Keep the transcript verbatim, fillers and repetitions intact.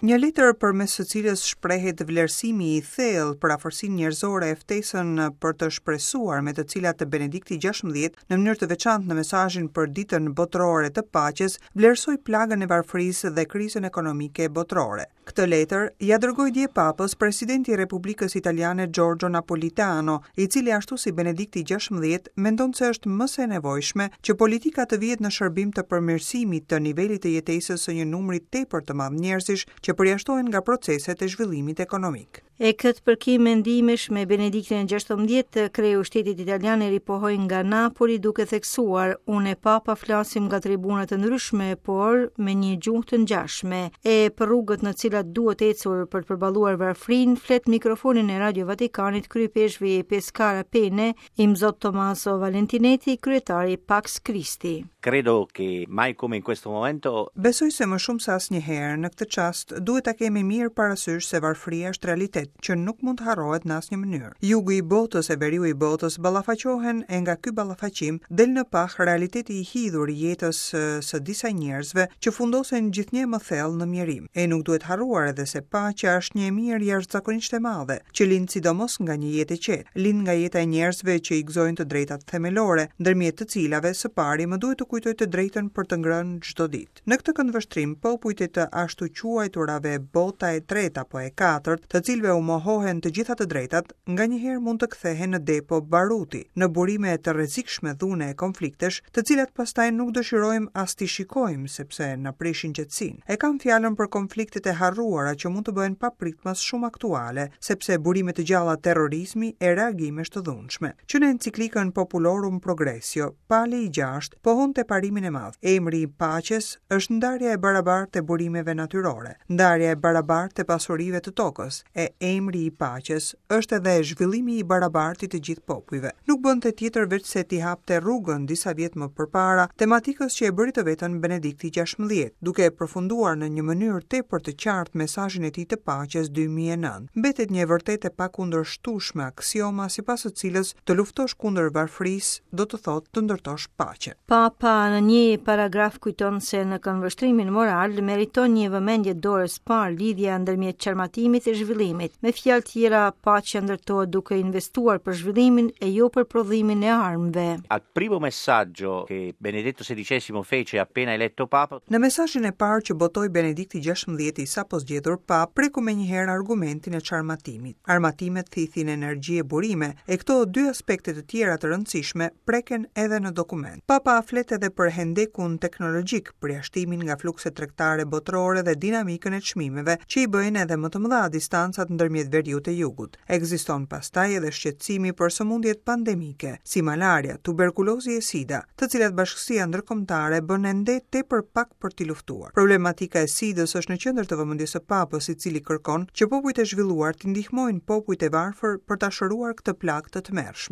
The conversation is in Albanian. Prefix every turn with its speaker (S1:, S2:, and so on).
S1: Një letër përmes së cilës shprehet vlerësimi i thellë për afërsinë njerëzore e ftesën për të shpresuar me të cilat Benedikti gjashtëmbëdhjetë në mënyrë të veçantë në mesazhin për Ditën Botërore të Paqes vlerësoi plagën e varfërisë dhe krizën ekonomike botërore. Këtë letër ja dërgoi dje Papës presidenti i Republikës Italiane Giorgio Napolitano, i cili ashtu si Benedikti gjashtëmbëdhjetë mendon se është më se e nevojshme që politika të vihet në shërbim të përmirësimit të nivelit të jetesës së një numri tepër të madh njerëzish që përjashtohen nga proceset e zhvillimit ekonomik.
S2: E këtë përkim mendimesh me Benediktin e gjashtëmbëdhjetë, kreu i shtetit italian e ripohoi nga Napoli duke theksuar: "Unë e Papa flasim nga tribuna të ndryshme, por me një gjuhë të ngjashme." E për rrugët në cilat duhet ecur për të përballuar varfrinë, flet mikrofonin e Radio Vatikanit kryepeshvi i Pescara Penne, Imzot Tommaso Valentinetti, kryetari Pax Christi.
S3: Credo che mai come in questo momento
S1: Besoj se më shumë se asnjëherë në këtë çast duhet ta kemi mirë parasysh se varfëria është realitet që nuk mund të harrohet në asnjë mënyrë. Jugu i botës e veriu i botës ballafaqohen e nga ky ballafaqim del në pah realiteti i hidhur i jetës së disa njerëzve që fundosen gjithnjë më thellë në mjerim. E nuk duhet harruar edhe se paqja është një e mirë jashtëzakonisht e madhe, që lind sidomos nga një jetë e qetë, lind nga jeta e njerëzve që i gëzojnë të drejtat themelore, ndërmjet të cilave së pari më duhet të kujtoj të drejtën për të ngrënë çdo ditë. Në këtë këndvështrim, popujt e të ashtu quajturave bota e tretë apo e katërt, të cilëve u mohohen të gjitha të drejtat, nganjëherë mund të kthehen në depo baruti, në burime të rrezikshme dhune e konfliktesh, të cilat pastaj nuk dëshirojmë as t'i shikojmë sepse na prishin qetësinë. E kam fjalën për konfliktet e harruara që mund të bëhen papritmas shumë aktuale, sepse burime të gjalla terrorizmi e reagimesh të dhunshme. Që në enciklikën Populorum Progressio, Pali i gjashtë pohonte parimin e madh. Emri i paqes është ndarja e barabartë e burimeve natyrore, ndarja e barabartë e pasurive të tokës, e emri i paqes është edhe zhvillimi i barabartë i të gjithë popujve. Nuk bënte tjetër veç se t'i hapte rrugën disa vjet më përpara tematikës që e bëri të vetën Benedikti gjashtëmbëdhjetë, duke e përfunduar në një mënyrë tepër të qartë mesazhin e tij të paqes dy mijë e nëntë. Mbetet një e vërtetë e pakundërshtueshme aksioma sipas së cilës të luftosh kundër varfërisë do të thotë të ndërtosh paqe.
S2: Papa në një paragraf kujton se në këndvështrimin moral meriton një vëmendje dorës parë lidhja ndërmjet çarmatimit e zhvillimit. Me fjalë tjera, paqja ndërtohet duke investuar për zhvillimin e jo për prodhimin e armëve.
S3: Al primo messaggio che Benedetto sedicesimo fece appena eletto Papa,
S1: Në mesazhin e parë që botoi Benedikti gjashtëmbëdhjetë i sapo zgjedhur Pap, preku menjëherë argumentin e çarmatimit. Armatimet thithin energji e burime, e këto dy aspekte të tjera të rëndësishme preken edhe në dokument. Papa flet edhe për hendekun teknologjik, përjashtimin nga flukset tregtare botërore dhe dinamikën e çmimeve që i bëjnë edhe më të mëdha distancat ndërmjet veriut e jugut. Ekziston pastaj edhe shqetësimi për sëmundjet pandemike, si malaria, tuberkulozi e sida, të cilat bashkësia ndërkombëtare bën ende tepër pak për t'i luftuar. Problematika e sidës është në qendër të vëmendjes së Papës, i cili kërkon që popujt e zhvilluar t'i ndihmojnë popujt e varfër për ta shëruar këtë plagë të tmerrshme.